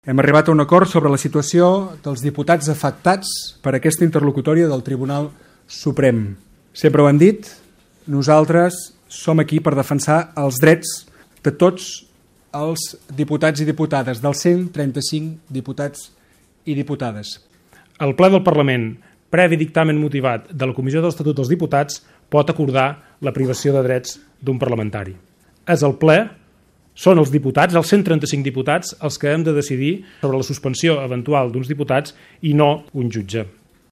Hem arribat a un acord sobre la situació dels diputats afectats per aquesta interlocutòria del Tribunal Suprem. Sempre ho hem dit, nosaltres som aquí per defensar els drets de tots els diputats i diputades, dels 135 diputats i diputades. El ple del Parlament, previ dictamen motivat de la Comissió de l'Estatut dels Diputats, pot acordar la privació de drets d'un parlamentari. És el ple, són els diputats, els 135 diputats, els que hem de decidir sobre la suspensió eventual d'uns diputats i no un jutge.